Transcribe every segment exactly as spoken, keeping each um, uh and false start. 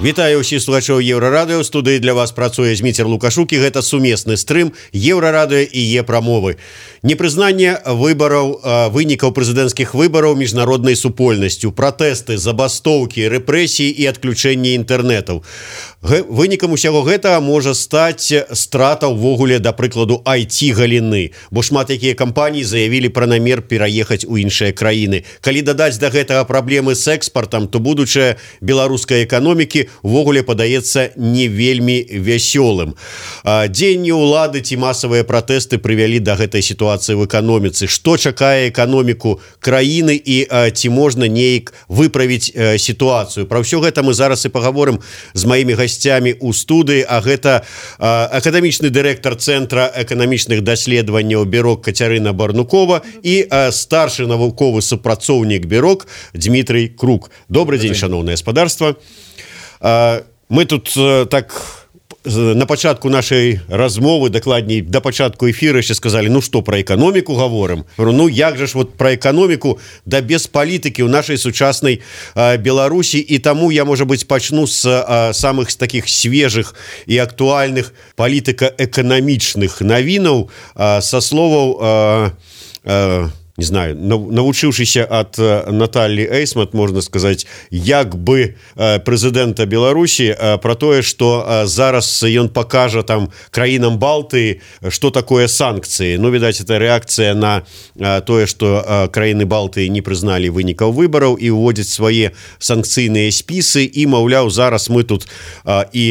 Вітаю ўсіх слухачоў Еўрарадыё. У студыі для вас працуе Зміцер Лукашук, і гэта сумесны стрым Еўрарадыё і Е-прамовы. Непрызнанне выбараў, вынікаў прэзідэнцкіх выбараў міжнароднай супольнасцю, пратэсты, забастоўкі, рэпрэсіі і адключэнне інтэрнэтаў. Вынікам усяго гэтага можа стаць страта ўвогуле, да прыкладу, ай ти-галіны, бо шмат якія кампаніі заявілі пра намер пераехаць у іншыя краіны. Калі дадаць да гэтага праблемы з экспартам, то будучае беларускай эканомікі увогуле падаецца не вельмі вясёлым. Дзеянні ўлады ці масавыя пратэсты прывялі да гэтай сітуацыі в эканоміцы. Што чакае эканоміку краіны і ці можна неяк выправіць сітуацыю? Пра ўсё гэта мы зараз і пагаворым з маімі гасцямі у студыі, а гэта акадэмічны дырэктар Цэнтра эканамічных даследаванняў Бюрок Кацярына Барнукова і старшы навуковы супрацоўнік Бюрок Дмітрый Крук. Добрый дзень, шаноўнае гаспадарства. Мы тут так на пачатку нашай размовы, дакладней да пачатку эфіра яшчэ сказалі, ну што, пра эканоміку гаворым. Ну як жа ж вот пра эканоміку да без палітыкі ў нашай сучаснай Беларусі, і таму я, можа быць, пачну з самых з такіх свежых і актуальных палітыка-эканамічных навінаў, са словаў не знаю, навучыўшыся ад Наталлі Эйсмат, можна сказаць, як бы прэзідэнта Беларусі, пра тое, што зараз ён пакажа там краінам Балтыі, што такое санкцыі. Ну, відаць, это рэакцыя на тое, што краіны Балтыі не прызналі вынікаў выбараў і ўводзяць свае санкцыйныя спісы, і, маўляў, зараз мы тут і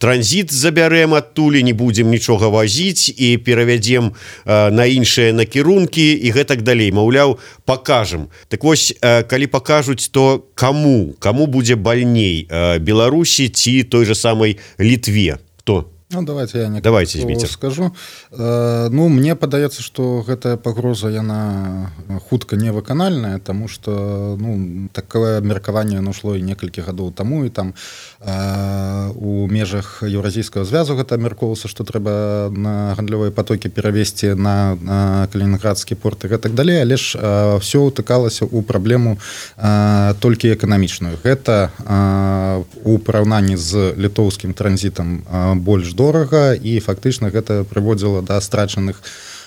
транзіт забярэм адтуль, не будзем нічога вазіць і перавядзем на іншыя накірункі, і гэта так далей, маўляў, пакажам. Так вось, калі пакажуць, то каму? Каму будзе бальней? Беларусі ці той же самай Літве? Хто? Ну, давайте я давайте, скажу. Э, ну, мне падаецца, што гэтая пагроза, яна хутка невыканальная, таму што, ну, такое абмеркаванне нашло і некалькі гадоў таму, і там э, у межах Еўразійскага звязу гэта абмяркоўвалася, што трэба на гандлёвыя патокі перавесці на, на Калінінградскі порт і гэтак далей, але ж э, ўсё ўтыкалася ў праблему э, толькі эканамічную. Гэта э, у параўнанні з літоўскім транзітам э, больш дорага, і фактычна гэта прыводзіла да страчаных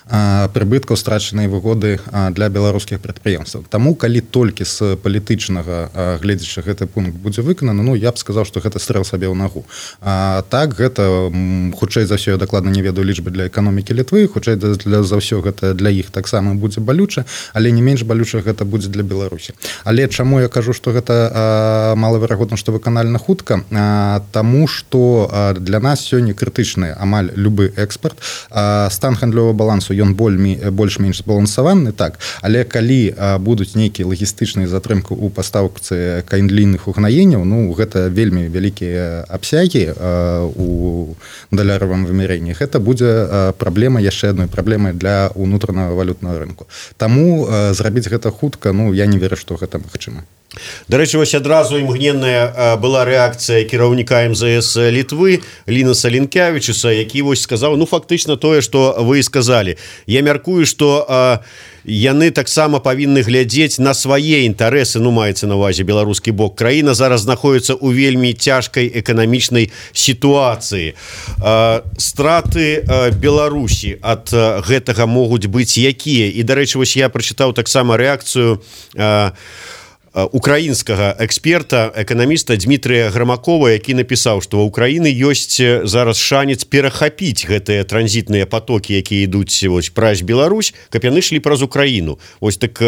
прыбыткаў, страчанай выгоды для беларускіх прадпрыемстваў. Таму, калі толькі з палітычнага гледзяча гэты пункт будзе выкананы, ну, я б сказаў, што гэта стрэл сабе ў нагу. А, так, гэта, хутчэй за ўсё, я дакладна не ведаю лічбы для эканомікі Літвы, хутчэй для, за ўсё гэта для іх таксама будзе балюча, але не менш балюча гэта будзе для Беларусі. Але чаму я кажу, што гэта а, малаверагодна, што выканальна хутка? А, таму, што а, для нас сёння крытычны амаль любы экспарт. А, стан гандлёвага балансу ён больш-менш збалансаваны, так, але калі а, будуць нейкія лагістычныя затрымкі ў пастаўцы каінлійных угнаенняў, ну, гэта вельмі вялікія абсягі а, у даляровым вымярэнні, гэта будзе а, праблема, яшчэ адной праблемай для ўнутранага валютнага рынку. Таму а, зрабіць гэта хутка, ну, я не веру, што гэта магчыма. Дарэчы, вось адразу імгненная была рэакцыя кіраўніка эм зэ эс Літвы Лінаса Лінкявічуса, які вось сказаў, ну, фактычна тое, што вы сказалі. Я мяркую, што а, яны таксама павінны глядзець на свае інтарэсы, ну, маецца на ўвазе беларускі бок. Краіна зараз знаходіцца ў вельмі цяжкай эканамічнай сітуацыі. А, страты а, Беларусі ад а, гэтага могуць быць якія? І, дарэчы, вось я прачытаў таксама рэакцыю а, украінскага эксперта, эканаміста Дмітрыя Грамакова, які напісаў, што ў Украіны ёсць зараз шанец перахапіць гэтыя транзітныя патокі, якія ідуць вось праз Беларусь, каб яны шлі праз Украіну. Вось так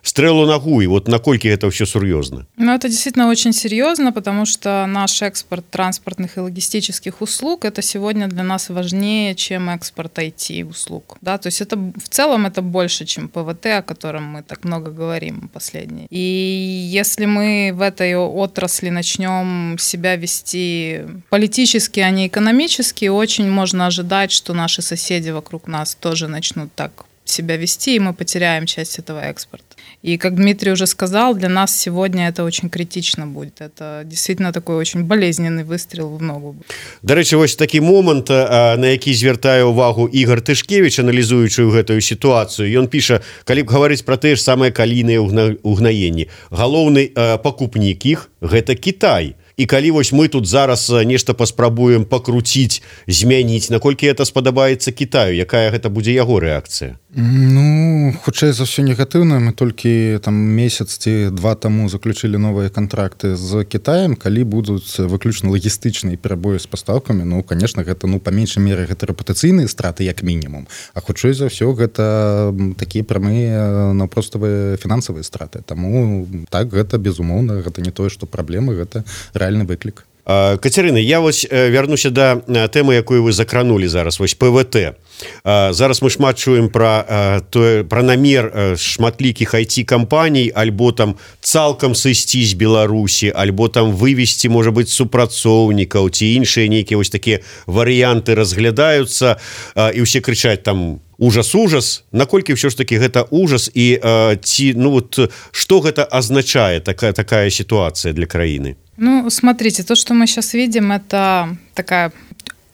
стрелу ногу, и вот накольки это все серьезно? Ну, это действительно очень серьезно, потому что наш экспорт транспортных и логистических услуг, это сегодня для нас важнее, чем экспорт ай ти-услуг. Да? То есть это в целом это больше, чем пэ вэ тэ, о котором мы так много говорим последние. И если мы в этой отрасли начнем себя вести политически, а не экономически, очень можно ожидать, что наши соседи вокруг нас тоже начнут так себя вести, и мы потеряем часть этого экспорта. И, как Дмитрий уже сказал, для нас сегодня это очень критично будет. Это действительно такой очень болезненный выстрел в ногу. До речі, ось такий момент, на який звертає увагу Ігор Тишкевич, аналізуючи гэтую ситуацию. Ён піша, калі б говорить про те ж самые калійныя угнаенні, галоўны покупнік іх – гэта Китай. і калі вось мы тут зараз нешта паспрабуем пакруціць, змяніць, наколькі это спадабаецца Кітаю, якая гэта будзе яго рэакцыя? Ну, хутчэй за ўсё негатыўна. Мы толькі там месяц ці два таму заключылі новыя кантракты з Кітаем, калі будуць выключна лагістычныя перабоі з пастаўкамі, ну, конечно, гэта, ну, па меншай меры гэта рэпутацыйныя страты як мінімум, а хутчэй за ўсё гэта такія прамыя наўпроставыя фінансавыя страты. Таму так, гэта безумоўна, гэта не тое, што праблемы, гэта рэальны выклік. Кацярына, я вось вярнуся да тэмы, якую вы закранулі зараз, вось ПВТ. Зараз мы шмат чуем пра тое, пра намер шматлікіх ай ти-кампаній альбо там цалкам сысці з Беларусі, альбо там вывесці, можа быць, супрацоўнікаў ці іншыя нейкія вось такія варыянты разглядаюцца, і ўсе крычаць там ужас, ужас. Наколькі ўсё ж такі гэта ужас, і ці, ну вот, што гэта азначае, такая, такая ситуация для краіны? Ну, смотрите, то, что мы сейчас видим, это такая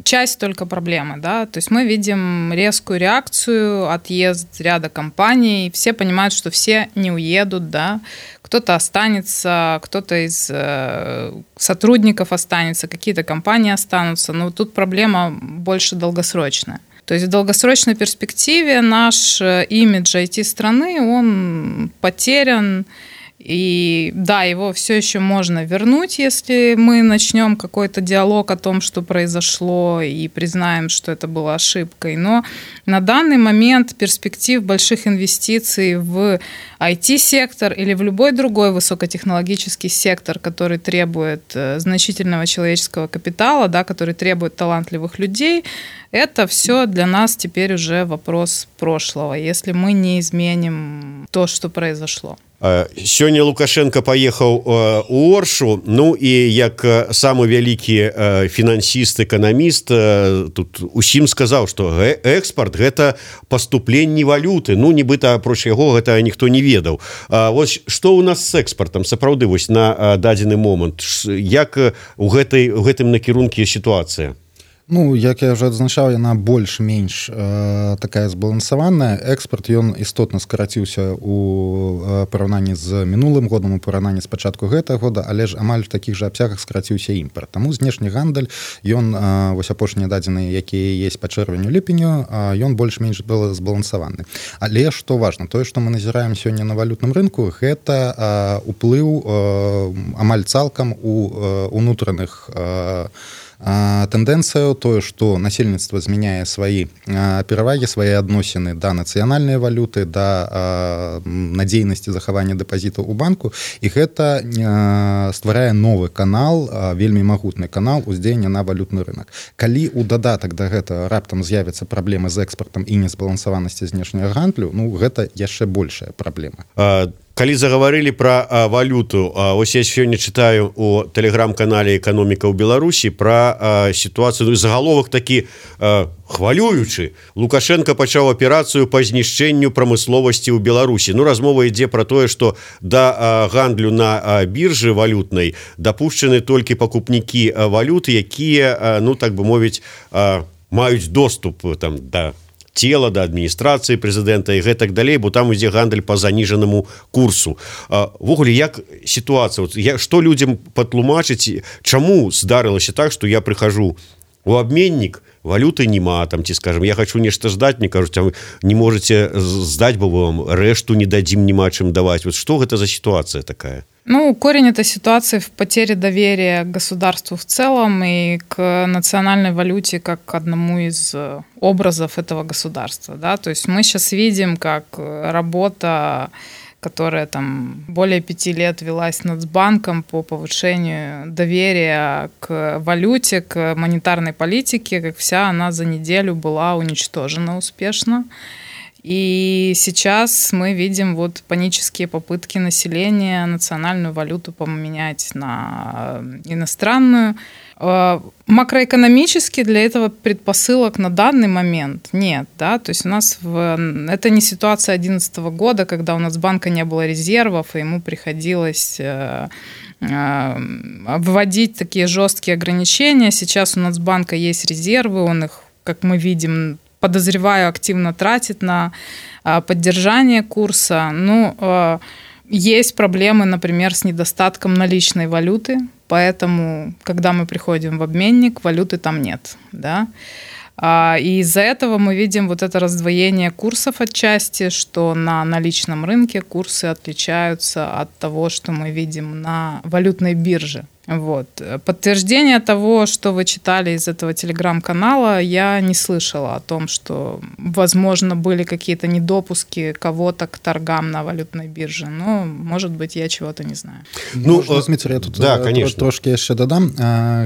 часть только проблемы, да, то есть мы видим резкую реакцию, отъезд ряда компаний, все понимают, что все не уедут, да, кто-то останется, кто-то из э, сотрудников останется, какие-то компании останутся, но тут проблема больше долгосрочная. То есть в долгосрочной перспективе наш имидж ай ти-страны, он потерян. И да, его все еще можно вернуть, если мы начнем какой-то диалог о том, что произошло, и признаем, что это была ошибкой. Но на данный момент перспектив больших инвестиций в ай ти-сектор или в любой другой высокотехнологический сектор, который требует значительного человеческого капитала, да, который требует талантливых людей, это все для нас теперь уже вопрос прошлого, если мы не изменим то, что произошло. Сёння Лукашенко паехаў у Оршу, ну і як самы вялікі фінансіст, эканаміст, тут усім сказаў, што экспарт гэта паступленне валюты, ну нібыта апроч яго гэта ніхто не ведаў. Вось што ў нас з экспартам, сапраўды, вось на дадзены момант, як у гэтай, у гэтым накірунку сітуацыя? Ну, як я вже адзначаў, яна больш-менш э, такая збалансаваная. Экспарт, ён істотна скараціўся у параўнанні з мінулым годам, у параўнанні з пачатку гэтага года, але ж амаль в такіх жа абсягах скараціўся імпарт. Таму знешні гандаль, ён, э, вось апошнія дадзеныя, якія есть па чэрвеню-ліпеню, э, ён больш-менш был збалансаваны. Але што важна, тое, што мы назіраем сёння на валютным рынку, гэта э, уплыў э, амаль цалкам у э, унутраных э, тэндэнцыю, тое, што насельніцтва змяняе свае перавагі, свае адносіны да нацыянальнай валюты, да надзейнасці захавання дэпазітаў у банку, і гэта стварае новы канал, вельмі магутны канал уздзеяння на валютны рынок. Калі ў дадатак да гэтага раптам з'явяцца праблемы з экспартам і незбалансаванасці знешняга гандлю, ну гэта яшчэ большая праблема. Калі загаварылі пра а, валюту, а, ось я сёння чытаю у тэлеграм-канале «Эканоміка ў Беларусі» пра а, сітуацыю, ну, загаловак такі а, хвалюючы. Лукашенко пачаў аперацыю па знішчэнню прамысловасці ў Беларусі. Ну, размова ідзе пра тое, што да а, гандлю на а, біржы валютнай дапушчаны толькі пакупнікі а, валюты, якія, а, ну, так бы мовіць, а, маюць доступ там да цела, да адміністрацыі прэзідэнта і гэтак далей, бо там ідзе гандаль па заніжанаму курсу. Ввогуле, як сітуацыя? Вот, я, што людзям патлумачыць, чаму здарылася так, што я прыхожу у абменнік, валюты нема, там, ці, скажем, я хочу нешта здаць, мне кажуць, а вы не можете здаць, бо вам рэшту не дадзім, нема чым даваць. Вот што гэта за ситуация такая? Ну, корень этой ситуации в потере доверия к государству в целом и к национальной валюте как к одному из образов этого государства, да, то есть мы сейчас видим, как работа, которая там более пяти лет велась Нацбанком по повышению доверия к валюте, к монетарной политике, как вся она за неделю была уничтожена успешно. И сейчас мы видим вот панические попытки населения национальную валюту поменять на иностранную. Макроэкономически для этого предпосылок на данный момент нет, да, то есть у нас в... это не ситуация две тысячи одиннадцатого года, когда у Нацбанка не было резервов, и ему приходилось вводить такие жесткие ограничения. Сейчас у Нацбанка есть резервы, он их, как мы видим, подозреваю, активно тратит на поддержание курса. Ну, Есть проблемы, например, с недостатком наличной валюты, поэтому, когда мы приходим в обменник, валюты там нет, да. И из-за этого мы видим вот это раздвоение курсов отчасти, что на наличном рынке курсы отличаются от того, что мы видим на валютной бирже. Вот. Подтверждение того, что вы читали из этого телеграм-канала, я не слышала о том, что, возможно, были какие-то недопуски кого-то к торгам на валютной бирже. Но, может быть, я чего-то не знаю. Ну, Можна, Дмитрий, я тут да, конечно. трошки еще додам.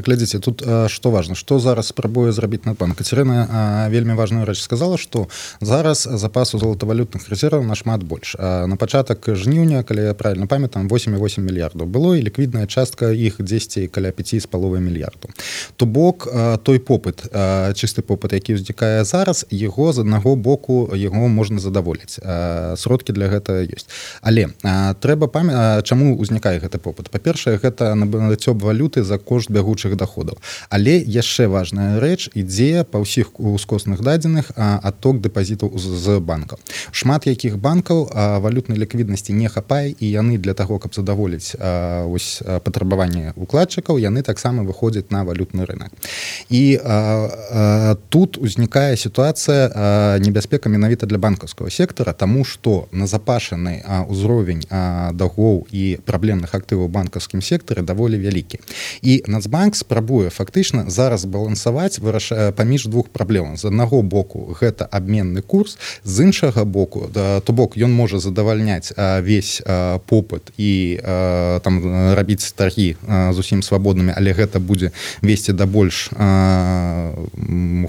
Глядите, тут что важно, что зараз спрабуе зрабіць Нацбанк. Катерина вельмі важную рэч сказала, что зараз запасу золотовалютных резерваў нашмат больш. На пачатак жніўня, калі я правильно памятаю, восемь и восемь мільярдаў было, і ліквідная частка іх дзесьці каля пяць з паловай мільярдаў. То бок той попыт, чысты попыт, які ўзнікае зараз, яго з аднаго боку яго можна задаволіць. Сродкі для гэтага ёсць. Але трэба памятаць, чаму ўзнікае гэты попыт. Па-першае, гэта набыццё валюты за кошт бягучых даходаў. Але яшчэ важная рэч, ідзе па ўсіх ускосных дадзеных адток дэпазітаў з банкаў. Шмат якіх банкаў валютнай ліквіднасці не хапае, і яны для таго, каб задаволіць ось патрабаванні укладчыкаў, яны таксама выходзяць на валютны рынок. І а, а, тут узнікае сітуацыя а, небяспека менавіта для банкаўскага сектара, таму што назапашаны а, ўзровень а, даўгоў і праблемных актываў у банкаўскім сектары даволі вялікі. І Нацбанк спрабуе фактычна зараз балансаваць вырашае паміж двух праблемаў. З аднаго боку гэта абменны курс, з іншага боку, да, то бок ён можа задавальняць а, весь а, попыт і а, там рабіць таргі а, зусім свабоднымі, але гэта будзе весці да больш а,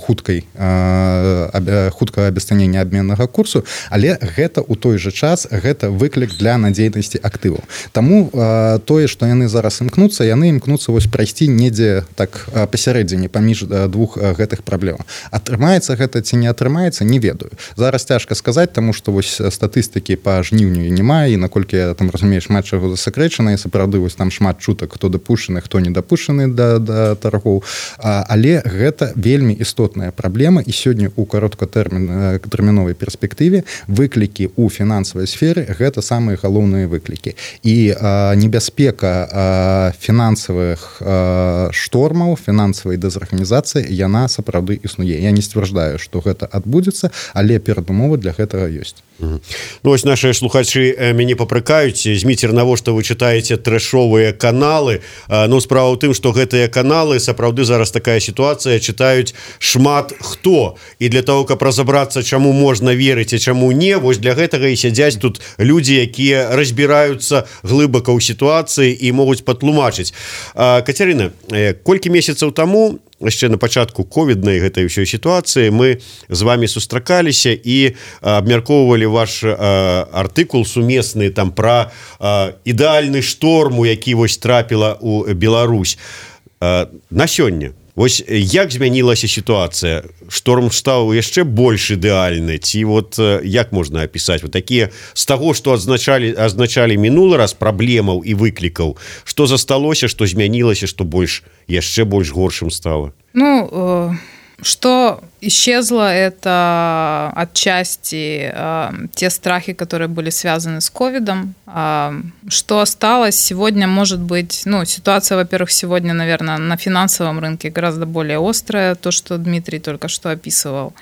хуткай а, хуткага абесцанення абменнага курсу, але гэта ў той жа час гэта выклік для надзейнасці актываў. Таму а, тое, што яны зараз імкнуцца, яны імкнуцца вось прайсці недзе так пасярэдзіне паміж двух гэтых праблемаў. Атрымаецца гэта ці не атрымаецца, не ведаю. Зараз цяжка сказаць, таму што вось статыстыкі па жніўню няма, і наколькі я там разумею, шмат чаго засакрэчана, і сапраўды вось там шмат чутак, хто дапушчаны, хто не дапушчаны да, да таргоў. А, але гэта вельмі істотная праблема, і сёння ў кароткатэрміновай перспектыве выклікі ў фінансавай сферы гэта самыя галоўныя выклікі. І а, небяспека а, фінансавых а, штормаў, фінансавай дэзарганізацыі, яна сапраўды існуе. Я не сцвярджаю, што гэта адбудзецца, але перадумовы для гэтага ёсць. Ну, ось наши слухачы мяне папракаюць: Зміцер, навошта вы чытаеце трэшовыя каналы? Ну, справа ў тым, што гэтыя каналы, сапраўды зараз такая сітуацыя, чытаюць шмат хто. І для того, каб разабрацца, чаму можна верыць, а чаму не, вось для гэтага і сядзяць тут людзі, якія разбіраюцца глыбака ў сітуацыі і могуць патлумачыць. Кацярына, колькі месяцаў таму, яшчэ на пачатку ковіднай гэтай ўсёй сітуацыі, мы з вами сустракаліся і абмяркоўвалі ваш а, артыкул сумесны там пра а, ідэальны шторм, у які вось трапіла ў Беларусь. А, на сёння вось як змянілася сітуацыя? Шторм стаў яшчэ больш ідэальны, ці вот як можна апісаць вот такія з таго, што адзначалі азначалі мінулы раз праблемаў і выклікаў, што засталося, што змянілася, што больш яшчэ больш горшым стала? Ну, э... Что исчезло, это отчасти э, те страхи, которые были связаны с ковидом. Э, что осталось сегодня, может быть, ну, ситуация, во-первых, сегодня, наверное, на финансовом рынке гораздо более острая, то, что Дмитрий только что описывал.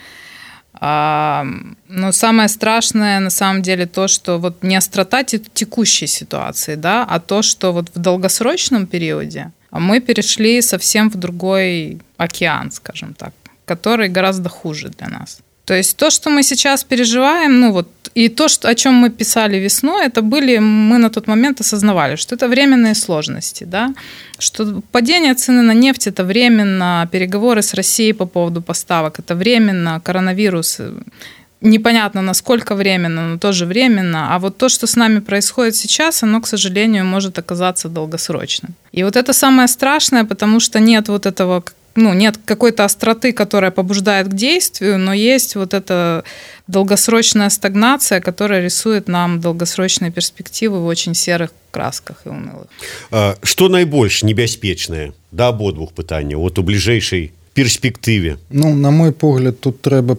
А, но самое страшное на самом деле то, что вот не острота текущей ситуации, да, а то, что вот в долгосрочном периоде мы перешли совсем в другой океан, скажем так, который гораздо хуже для нас. То есть то, что мы сейчас переживаем, ну вот, и то, что, о чем мы писали весной, это были, мы на тот момент осознавали, что это временные сложности, да, что падение цены на нефть – это временно, переговоры с Россией по поводу поставок – это временно, коронавирус – непонятно, насколько временно, но тоже временно. А вот то, что с нами происходит сейчас, оно, к сожалению, может оказаться долгосрочным. И вот это самое страшное, потому что нет вот этого... Ну, нет какой-то остроты, которая побуждает к действию, но есть вот эта долгосрочная стагнация, которая рисует нам долгосрочные перспективы в очень серых красках и унылых. Что наибольш небяспечнае? Да, абодвух пытанняў. Вот у бліжэйшай перспектыве? Ну, на мой погляд, тут трэба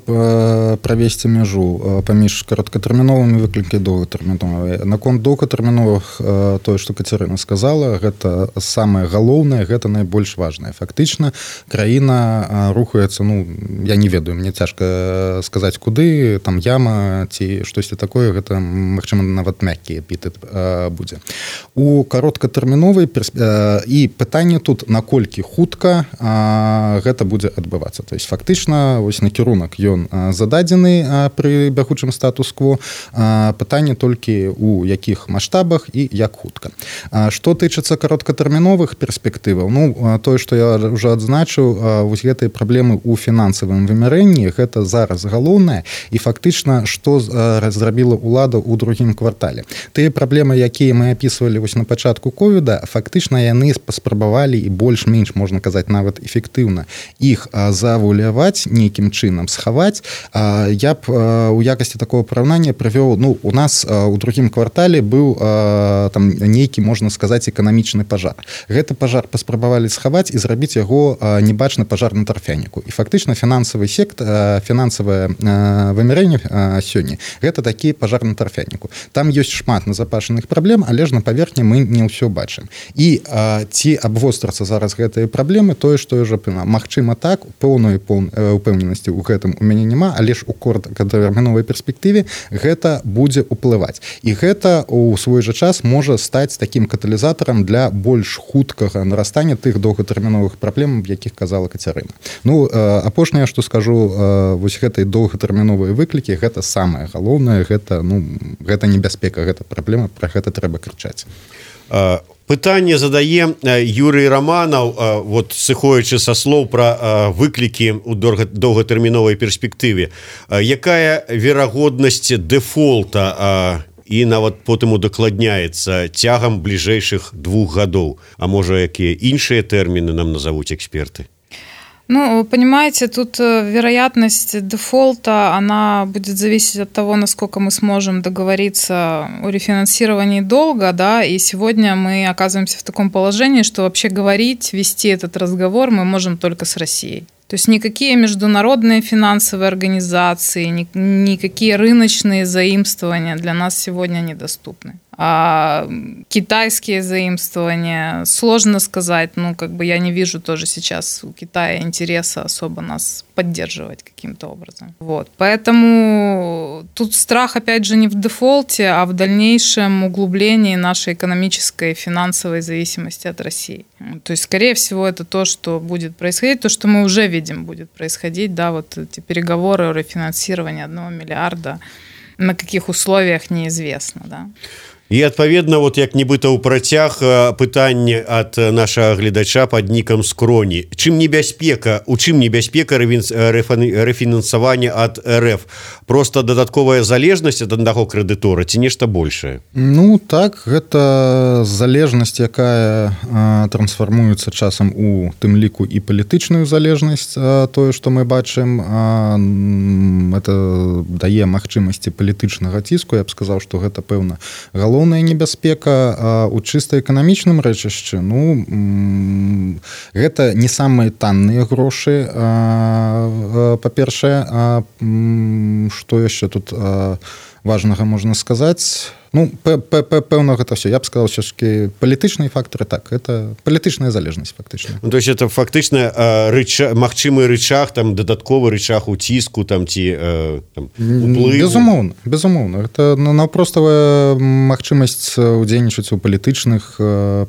правесці мяжу паміж кароткатэрміновымі выклікі доўгатэрміновыя. Наконт доўгатэрміновых, тое, што Кацярына сказала, гэта самае галоўнае, гэта найбольш важнае. Фактычна краіна рухаецца, ну, я не ведаю, мне цяжка сказаць куды, там яма ці штосьці такое, гэта, магчыма, нават мяккі эпітэт будзе. У кароткатэрміновай і пытанне тут, наколькі хутка гэта будзе адбывацца. То есть фактычна вось накірунак ён зададзены пры бягучым статус-кво, пытанне толькі у якіх маштабах і як хутка. Што тычыцца кароткатэрміновых перспектываў, ну, тое, што я ўжо адзначыў, вось гэтыя праблемы ў фінансавым вымярэнні, гэта зараз галоўнае, і фактычна, што зрабіла ўлада ў другім квартале. Тыя праблемы, якія мы апісвалі вось на пачатку ковіда, фактычна яны паспрабавалі і больш-менш, можна казаць, нават эфектыўна іх завуляваць, нейкім чынам схаваць. Я б у якасці такого параўнання прывёў, ну, у нас у другім квартале быў там нейкі, можна сказаць, эканамічны пажар. Гэты пажар паспрабавалі схаваць і зрабіць яго небачны пажар на тарфяніку. І фактычна фінансавы сектор, фінансавае вымярэнне сёння, гэта такі пажар на тарфяніку. Там ёсць шмат назапашаных праблем, але ж на паверхні мы не ўсё бачым. І ці абвострацца зараз гэтыя праблемы, тое, што ўжо магчыма так, поўной упэўненасці ў гэтым у мяне няма, але ж у кароткатэрміновай перспектыве гэта будзе ўплываць. І гэта у свой жа час можа стаць такім каталізатарам для больш хуткага нарастання тых доўгатэрміновых праблем, якіх казала Кацярына. Ну, апошняе, што скажу, вось гэтай доўгатэрміновыя выклікі, гэта самае галоўнае, гэта, ну, гэта небяспека, гэта праблема, пра гэта трэба крычаць. Пытанне задае Юрый Романов, вот сыходзячы са слоў пра выклікі ў доўгатэрміновай перспектыве. Якая верагоднасць дэфолта і нават потым удакладняецца цягам бліжэйшых двух гадоў? А можа, якія іншыя тэрміны нам назовуць эксперты? Ну, понимаете, тут вероятность дефолта, она будет зависеть от того, насколько мы сможем договориться о рефинансировании долга, да, и сегодня мы оказываемся в таком положении, что вообще говорить, вести этот разговор мы можем только с Россией. То есть никакие международные финансовые организации, ни, никакие рыночные заимствования для нас сегодня недоступны. А китайские заимствования, сложно сказать, ну, как бы я не вижу тоже сейчас у Китая интереса особо нас поддерживать каким-то образом. Вот. Поэтому тут страх, опять же, не в дефолте, а в дальнейшем углублении нашей экономической и финансовой зависимости от России. То есть, скорее всего, это то, что будет происходить, то, что мы уже видим будет происходить, да, вот эти переговоры о рефинансировании одного миллиарда, на каких условиях неизвестно, да. І, адпаведна, вот як нібыта ў працяг пытанне ад нашага гледача пад нікам Скроні. Чым небяспека, у чым небяспека рэфінансавання ад РФ? Просто дадатковая залежнасць ад аднаго крэдытора ці нешта большае? Ну, так, гэта залежнасць, якая а, трансфармуецца часам у тым ліку і палітычную залежнасць, а, тое, што мы бачым, а, это дае магчымасці палітычнага ціску. Я б сказаў, што гэта, пэўна, галоўная небяспека. А у чыста эканамічным рэчышчы, ну, гэта не самыя танныя грошы, па-першае, што яшчэ тут важнага можна сказаць. Ну, пэўна, гэта все. Я б сказал, все-таки палітычныя фактары, так, это палітычная залежнасць, фактычна. Ну, то есть это фактычна рычаг, магчымы рычаг, там, дадатковы рычаг уціску, там, ці там, уплыву? Безумоўна, безумоўна. Это наўпроставая магчымасць удзельнічаць у палітычных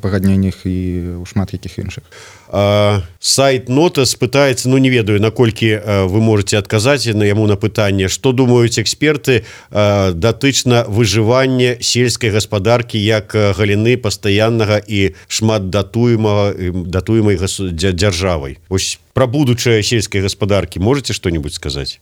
пагадненнях і ў шмат якіх іншых. А, сайт Нотас пытаецца, ну, не ведаю, наколькі вы можете адказаць на яму на пытанне, што думаюць эксперты а, датычна выжывання сельскай гаспадаркі як галіны пастаяннага і шмат датуемага датуемай дзяржавай. Вось про будущее сельской господарки можете что-нибудь сказать?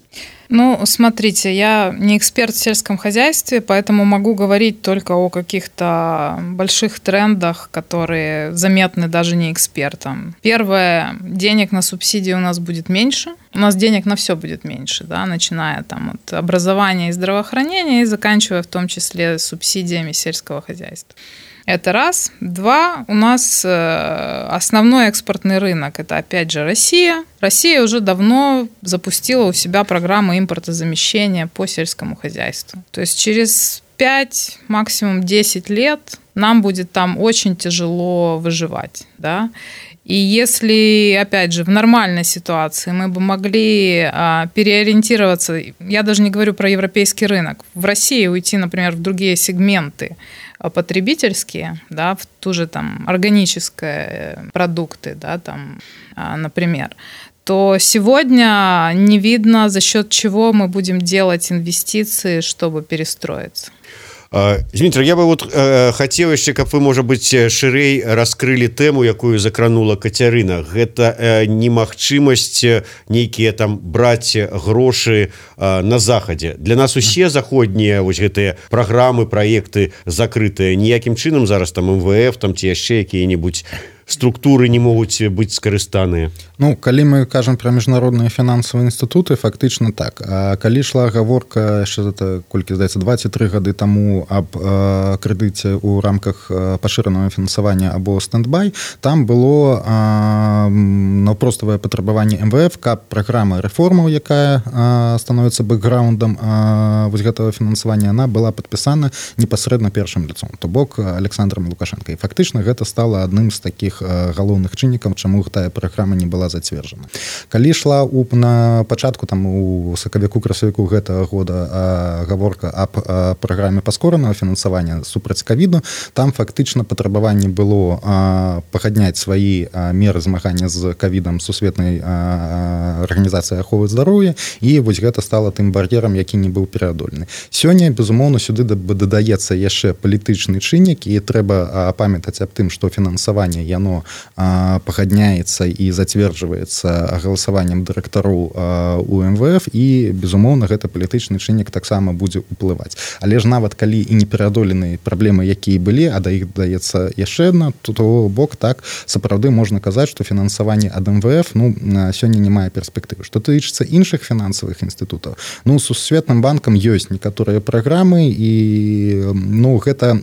Ну, смотрите, я не эксперт в сельском хозяйстве, поэтому могу говорить только о каких-то больших трендах, которые заметны даже не экспертам. Первое, денег на субсидии у нас будет меньше. У нас денег на все будет меньше, да, начиная там от образования и здравоохранения и заканчивая в том числе субсидиями сельского хозяйства. Это раз. Два. У нас основной экспортный рынок – это, опять же, Россия. Россия уже давно запустила у себя программу импортозамещения по сельскому хозяйству. То есть через пять, максимум десять лет нам будет там очень тяжело выживать, да. И если, опять же, в нормальной ситуации мы бы могли а, переориентироваться, я даже не говорю про европейский рынок, в России уйти, например, в другие сегменты потребительские, да, в ту же там органические продукты, да, там, а, например, то сегодня не видно, за счет чего мы будем делать инвестиции, чтобы перестроиться. Дмитрий, я бы вот э, хотел еще, как вы, может быть, ширей раскрыли тему, якую закранула Кацярына. Это э, немагчымасць нейкія там браць грошы э, на захадзе. Для нас усе заходнія вось гэтыя праграмы, праекты закрытыя. Ніякім чынам зараз там эм вэ эф там ці яшчэ якія-небудзь структуры не могуць быць скарыстаныя. Ну, калі мы кажам пра міжнародныя фінансавыя інстытуты, фактычна так. А калі ішла гаворка яшчэ это колькі здаецца два ці тры гады таму аб э, крэдыце ў рамках э, пашыранага фінансавання або стендбай, там было э, наўпроставае патрабаванне эм вэ эф, каб праграма рэформаў, якая э, становіцца бэкграундам э, вось гэтага фінансавання, она была падпісана непасрэдна першым лицом, то бок Александром Лукашенко. І фактычна гэта стала адным з такіх галоўных чыннікаў, чаму тая праграма не была зацверджана. Калі ішла у, на пачатку там у сакавіку-красавіку гэтага года а, гаворка аб а, праграме паскоранага фінансавання супраць ковіду, там фактычна патрабаванне было а, пагадняць свае а, меры змагання з ковідам сусветнай арганізацыі аховы здароўя, і вось гэта стала тым бар'ерам, які не быў пераадолены. Сёння, безумоўна, сюды дадаецца яшчэ палітычны чыннік, і трэба а, памятаць аб тым, што фінансаванне яно оно пагадняецца і зацверджваецца галасаваннем дырэктароў у эм вэ эф, і, безумоўна, гэта палітычны чыннік таксама будзе ўплываць. Але ж нават калі і не пераадолены праблемы, якія былі, а да іх даецца яшчэ адна, то бок так сапраўды можна казаць, што фінансаванне ад эм вэ эф ну, сёння не мае перспектывы. Што тычыцца іншых фінансавых інстытутаў, ну, Сусветным банкам ёсць некаторыя праграмы, і ну, гэта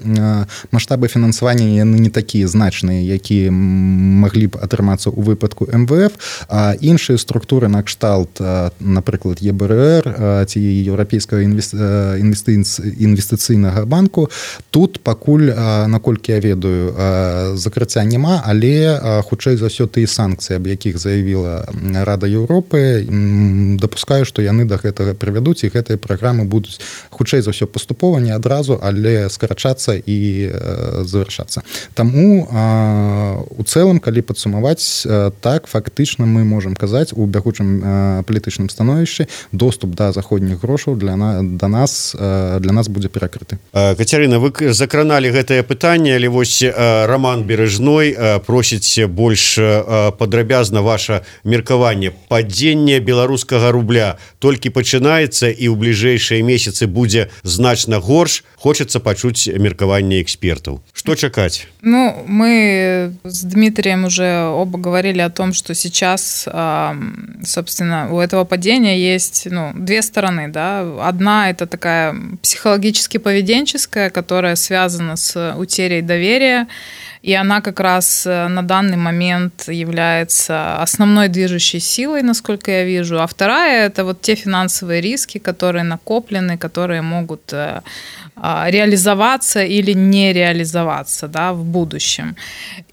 маштабы фінансавання яны не такія значныя, якія маглі б атрымацца ў выпадку эм вэ эф, а іншыя структуры на кшталт, напрыклад, е бэ эр эр ці еўрапейскага інвестыцыйнага банку, тут пакуль, наколькі я ведаю, закрыцця няма, але хутчэй за ўсё тыя санкцыі, аб якіх заявіла Рада Еўропы, дапускаю, што яны да гэтага прывядуць, і гэтыя праграмы будуць хутчэй за ўсё паступова, не адразу, але скарачацца і завяршацца. Таму у цэлым, калі падсумаваць, так, фактычна мы можам казаць, у бягучым палітычным становішчы доступ да заходніх грошаў для на, да нас, для нас будзе перакрыты. Кацярына, вы закраналі гэтае пытанне, але вось Роман Бережной просіць больш падрабязна ваша меркаванне. Падзенне беларускага рубля толькі пачынаецца, і ў бліжэйшыя месяцы будзе значна горш. Хочацца пачуць меркаванне экспертаў. Што чакаць? Ну, мы с Дмитрием уже оба говорили о том, что сейчас, собственно, у этого падения есть, ну, две стороны, да. Одна – это такая психологически-поведенческая, которая связана с утерей доверия, и она как раз на данный момент является основной движущей силой, насколько я вижу. А вторая – это вот те финансовые риски, которые накоплены, которые могут реализоваться или не реализоваться, да, в будущем.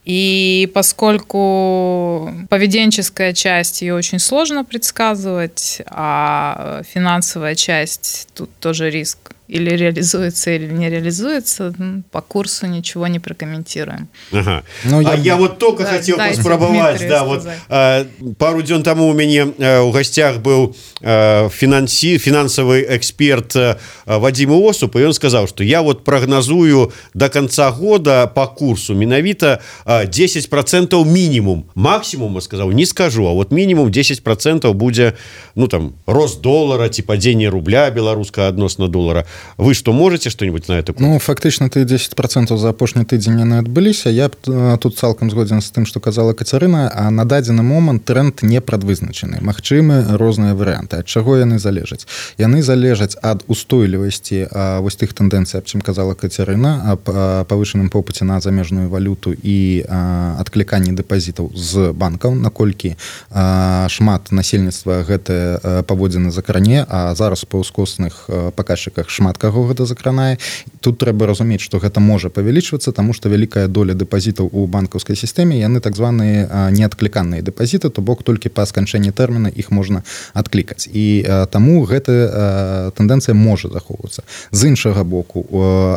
И поскольку поведенческая часть, ее очень сложно предсказывать, а финансовая часть, тут тоже риск. Или реализуется, или не реализуется, по курсу ничего не прокомментируем. Ага. Ну, я... А я вот только да, хотел поспробовать. Да, вот, а, пару дней тому у меня а, у гостях был а, финанси, финансовый эксперт а, Вадим Осуп, и он сказал, что я вот прогнозую до конца года по курсу миновито а, десять процентов минимум. Максимум, я сказал, не скажу, а вот минимум десять процентов будет, ну там, рост доллара, типа падение рубля белорусского относно доллара. вы что можете что-нибудь на это? Ну фактычна ты десять процентаў за апошні тыдзень не адбыліся. Я тут цалкам згодзін з тым, што казала Кацярына, а на дадзены момант тренд не прадвызначаны. Магчымы розныя варыянты. Ад чаго яны залежаць? Яны залежаць ад устойлівасці вось тых тэндэнцый, аб чым казала Кацярына, аб павышаным попыце на замежную валюту і адкліканні дэпазітаў з банкаў, наколькі шмат насельніцтва гэтыя паводзіны закране, а зараз па ўскосных паказчыках шмат каго гэта закранае. Тут трэба разумець, што гэта можа павялічвацца, таму што вялікая доля дэпазітаў у банкаўскай сістэме, яны так званыя неадкліканыя дэпазіты, то бок толькі па сканчэнні тэрміна іх можна адклікаць. І таму гэта тэндэнцыя можа захоўвацца. З іншага боку,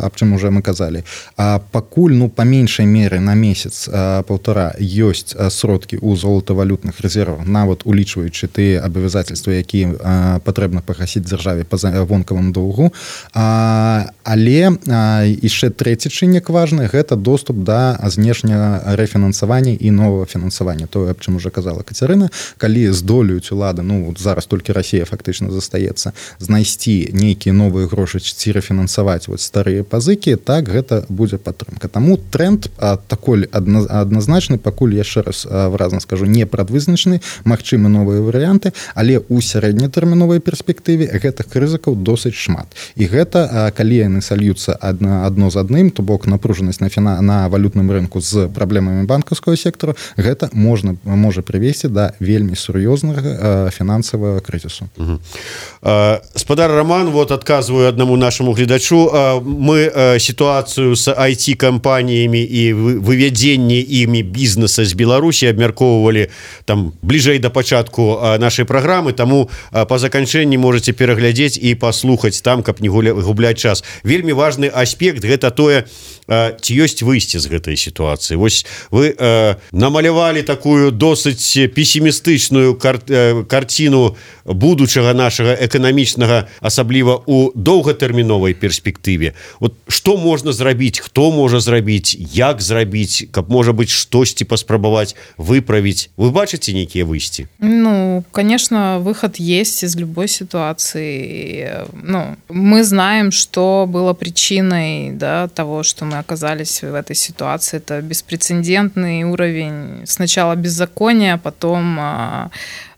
аб чым уже мы казалі, пакуль ну па меншай меры на месяц паўтара ёсць сродкі ў золатавалютных рэзервах, нават улічваючы тыя абавязательствы, якія патрэбна пагасіць дзяржаве па вонкавым доўгу. Але яшчэ трэці чыннік важны, гэта доступ да знешняга рэфінансавання і новага фінансавання. Тое, аб чым уже казала Кацярына, калі здолеюць улады, ну зараз толькі Расія фактычна застаецца, знайсці нейкія новыя грошы ці рэфінансаваць вот старыя пазыкі, так гэта будзе падтрымка. Таму тренд такой адназначны, пакуль яшчэ раз выразна скажу, не прадвызначаны, магчымы новыя варыянты, але ў сярэднетэрміновай перспектыве гэтых рызыкаў досыць шмат. І гэта, калі яны сольюцца адно, адно з адным, то бок напружанасць на, фіна, на валютным рынку з праблемамі банкаўскага сектора, гэта можна, можа прывесці да вельмі сур'ёзнага фінансавага крызісу. Угу. Спадар Роман, вот адказваю аднаму нашаму гледачу, мы сітуацыю з ай ти-кампаніямі і вывядзенне імі бізнеса з Беларусі абмяркоўвалі там бліжэй да пачатку нашай праграмы, таму па заканчэнні можаце пераглядзець і паслухаць там, каб не губляць час. Вельмі важны аспект гэта тое, ці ёсць выйсце з гэтай сітуацыі. Вось вы э, намалявалі такую досыць песімістычную кар э, карціну будучага нашага эканамічнага, асабліва у доўгатэрміновай перспектыве. Вот што можна зрабіць, хто можа зрабіць, як зрабіць, каб можа быць штосьці паспрабаваць выправіць. Вы бачыце нейкія выйсці? Ну, конечно, выход есть из любой ситуации. Ну, мы знаем, что было причиной, да, того, что мы оказались в этой ситуации. Это беспрецедентный уровень сначала беззакония, потом а,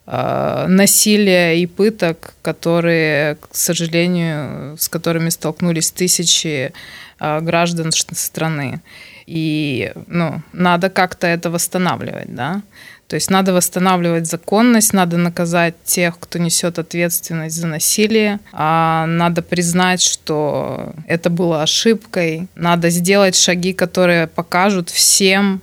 а, насилия и пыток, которые, к сожалению, с которыми столкнулись тысячи а, граждан страны. И ну, надо как-то это восстанавливать, да. То есть надо восстанавливать законность, надо наказать тех, кто несет ответственность за насилие, а надо признать, что это было ошибкой, надо сделать шаги, которые покажут всем,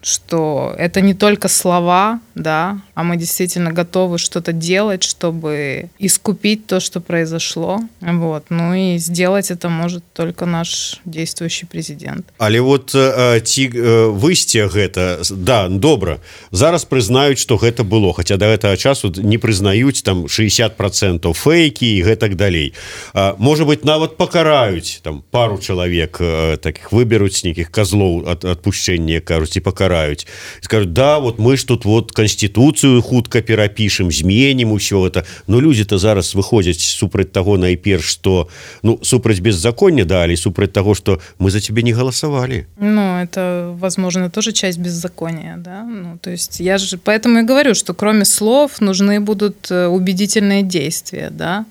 что это не только слова, да, а мы действительно готовы что-то делать, чтобы искупить то, что произошло. Вот. Ну и сделать это может только наш действующий президент. Але вот ці выйсце гэта, да, добра. Зараз прызнаюць, што гэта было, хаця да гэтага часу не прызнаюць там шэсцьдзесят процентаў фейкі і гэтак далей. Можа быць, нават пакараюць там пару чалавек, такіх выберуць нейкіх казлоў ад адпушчэння, кажуць, і пакараюць. І скажуць, да, вот мы ж тут вот канституцыю хутка перапішам, зменім усё это. Но людзі-то зараз выходзяць супраць таго найперш, што ну, супраць беззаконня, да, але супраць таго, што мы за цябе не галасавалі. Ну, это, возможно, тоже часть беззакония, да. Ну, то есть я же поэтому и говорю, что кроме слов нужны будут убедительные действия, да.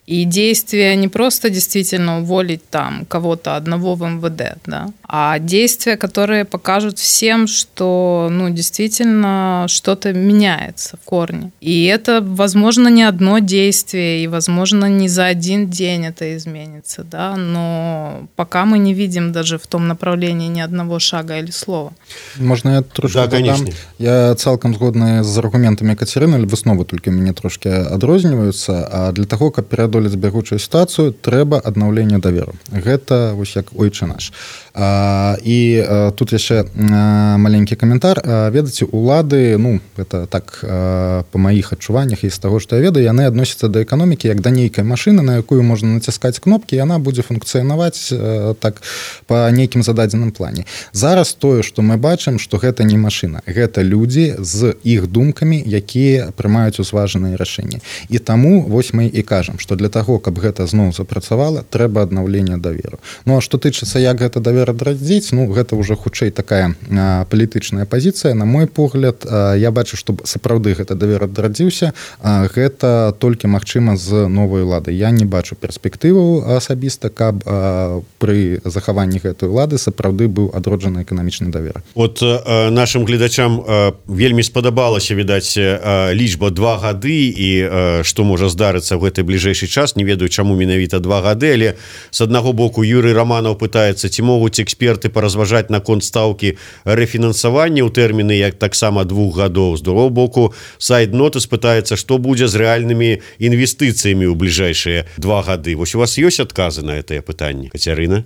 И действия не просто действительно уволить там кого-то одного в эм вэ дэ, да, а действия, которые покажут всем, что ну, действительно что-то меняется в корне. И это, возможно, не одно действие, и, возможно, не за один день это изменится, да, но пока мы не видим даже в том направлении ни одного шага или слова. Можно я трошки да, конечно. Я цалкам згодны з аргументамі Кацярыны, высновы толькі мяне трошки адрозніваюцца, а для таго, каб пераадолець бягучую сітуацыю, трэба аднаўленне даверу. Гэта вось як ойчы наш. А, і а, тут яшчэ а, маленькі каментар. А, ведаце, улады, ну, гэта так а, па маіх адчуваннях і з таго, што я ведаю, яны адносяцца да эканомікі як да нейкай машыны, на якую можна націскаць кнопкі, і яна будзе функцыянаваць а, так па нейкім зададзеным плане. Зараз тое, што мы бачым, што гэта не машына, гэта людзі з іх думкамі, якія прымаюць узважаныя рашэнні. І таму вось мы і кажам, што для для таго каб гэта зноў запрацавала трэба аднаўлення даверу. Ну а што тычыцца як гэта давер адрадзіць, ну гэта ўжо хутчэй такая а, палітычная пазіцыя. На мой погляд, а, я бачу, што сапраўды гэта давер адрадзіўся, а, гэта толькі магчыма з новай улады. Я не бачу перспектыву асабіста, каб а, пры захаванні гэтай улады сапраўды быў адроджаны эканамічны давер. От а, нашим гледачам а, вельмі спадабалася, відаць, а, лічба два гады і а, што можа здарыцца ў гэты бліжэйшы час. Не ведаю, чаму менавіта два гады, але з аднаго боку Юрый Романов пытаецца, ці могуць эксперты паразважаць наконт стаўкі рэфінансавання ў тэрміны як таксама двух гадоў. З другого боку сайт Нотис пытаецца, што будзе з рэальнымі інвестыцыямі ў бліжэйшыя два гады. Вось у вас ёсць адказы на гэтае пытанне, Кацярына?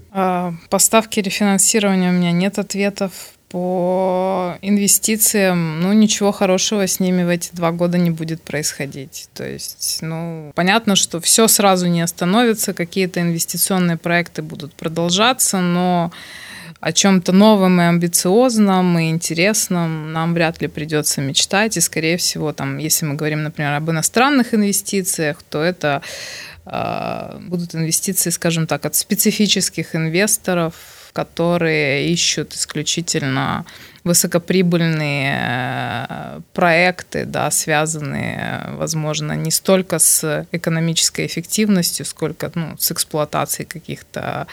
По ставке рефинансирования у меня нет ответов. По инвестициям, ну, ничего хорошего с ними в эти два года не будет происходить. То есть, ну, понятно, что все сразу не остановится, какие-то инвестиционные проекты будут продолжаться, но о чем-то новом и амбициозном, и интересном нам вряд ли придется мечтать. И, скорее всего, там, если мы говорим, например, об иностранных инвестициях, то это э, будут инвестиции, скажем так, от специфических инвесторов, которые ищут исключительно высокоприбыльные проекты, да, связанные, возможно, не столько с экономической эффективностью, сколько, ну, с эксплуатацией каких-то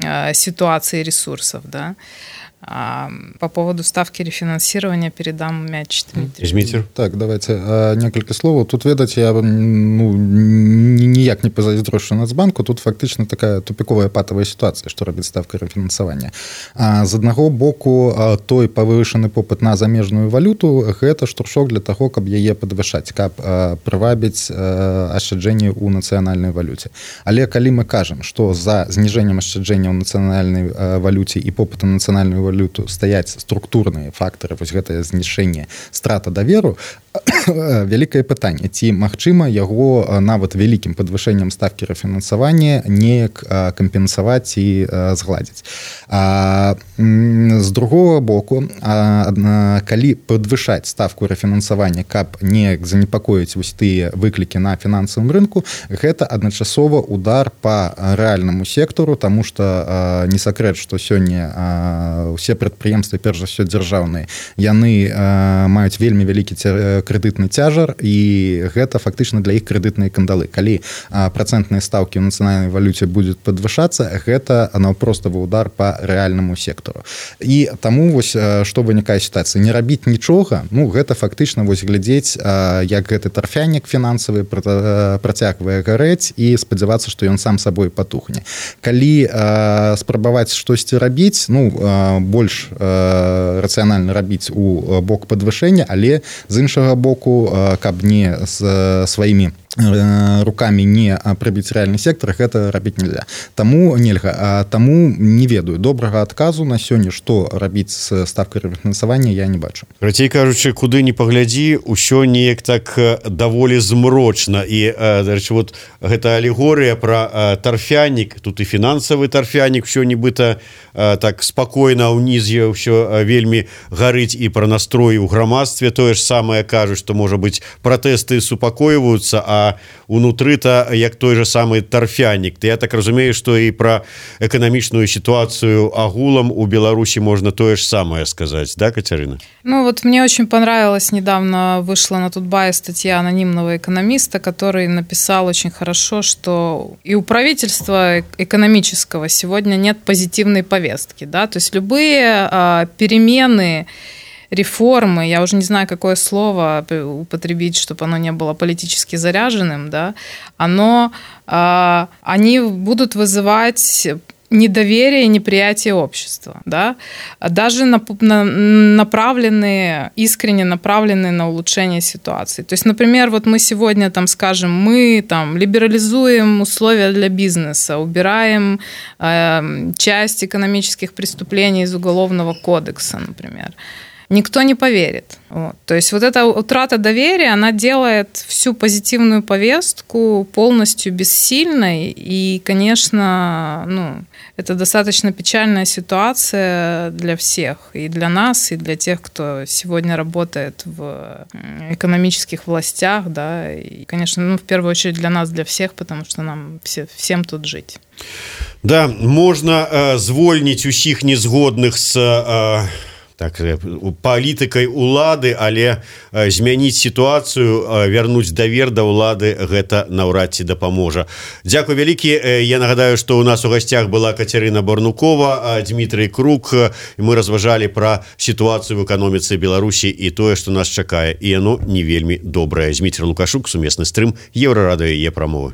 э, ситуаций и ресурсов, да. А по поводу ставки рефинансирования передам мяч Дмитрий. Так, давайте а, некалькі словаў. Тут, ведаць, я ну, ніяк не пазайздрошчу Нацбанку. Тут фактычна такая тупіковая патавая сітуацыя, што робіць ставка рэфінансавання. А, з аднаго боку, а, той павышаны попыт на замежную валюту, гэта штуршок для таго, каб яе падвышаць, каб а, прывабіць а, ашчаджэнні ў нацыянальнай валюце. Але калі мы кажам, што за зніжэннем ашчаджэння ў нацыянальнай а, валюце і попыту на нацыянальную валюту стаяць структурныя фактары, вось гэтае знішэнне, страта даверу, вялікае пытанне, ці магчыма яго нават вялікім падвышэннем ставкі рэфінансавання неяк кампенсаваць і згладзіць. А, з другого боку, а, калі падвышаць ставку рэфінансавання, каб неяк занепакоіць вось тыя выклікі на фінансавым рынку, гэта адначасова удар па рэальнаму сектару, таму што а, не сакрэт, што сёння а, усе прадпрыемствы, перш за ўсё дзяржаўныя, яны а, маюць вельмі вялікі крэдытны цяжар, і гэта фактычна для іх крэдытныя кандалы. Калі а, працэнтныя стаўкі ў нацыянальнай валюце будуць падвышацца, гэта наўпроставы удар па рэальнаму сектару. І таму вось што вынікае сітуацыя, не рабіць нічога, ну гэта фактычна вось глядзець, а, як гэты тарфянік фінансавы працягвае гарэць і спадзявацца, што ён сам сабой патухне. Калі а, спрабаваць штосьці рабіць, ну а, больш э, рацыянальна рабіць у бок падвышэння, але з іншага боку, э, каб не з э, сваімі руками не прыбіць рэальны сектар, гэта рабіць нельзя. Таму нельга, а таму не ведаю. Добрага адказу на сёння, што рабіць з ставкай рэфінансавання, я не бачу. Працей кажучы, куды не паглядзі, усё неяк так даволі змрочна. І, дарэчы, вот гэта алегорыя пра тарфянік, тут і фінансавы тарфянік, усё нібыта так спакойна ўнізе ўсё вельмі гарыць, і пра настрой у грамадстве тое ж самае кажуць, што можа быць пратэсты супакойваюцца, а унутры-то як той же самый тарфянік. Я так разумею, што і пра эканамічную ситуацию агулам у Беларуси можно то же самое сказать, да, Катерина? Ну вот мне очень понравилось, недавно вышла на Тутбае статья анонимного экономиста, который написал очень хорошо, что и у правительства экономического сегодня нет позитивной повестки, да, то есть любые а, перемены, реформы, я уже не знаю, какое слово употребить, чтобы оно не было политически заряженным, да, оно, э, они будут вызывать недоверие и неприятие общества, да, даже на, на, направленные, искренне направленные на улучшение ситуации. То есть, например, вот мы сегодня там скажем, мы там либерализуем условия для бизнеса, убираем э, часть экономических преступлений из Уголовного кодекса, например. никто не поверит. Вот. То есть вот эта утрата доверия, она делает всю позитивную повестку полностью бессильной. И, конечно, ну, это достаточно печальная ситуация для всех. И для нас, и для тех, кто сегодня работает в экономических властях. Да. И, конечно, ну, в первую очередь для нас, для всех, потому что нам все, всем тут жить. Да, можна э, звольніць усіх незгодных з э, так, палітыкай улады, але э, змяніць сітуацыю, э, вярнуць давер да ўлады, гэта наўрад ці дапаможа. Дзякуй вялікі. Я нагадаю, што ў нас у гасцях была Кацярына Барнукова, Дмітрый Крук. Мы разважалі пра сітуацыю в эканоміцы Беларусі і тое, што нас чакае. І яно не вельмі добрае. Зміцер Лукашук, сумесны стрым, Еўрарадыё, яе прамовы.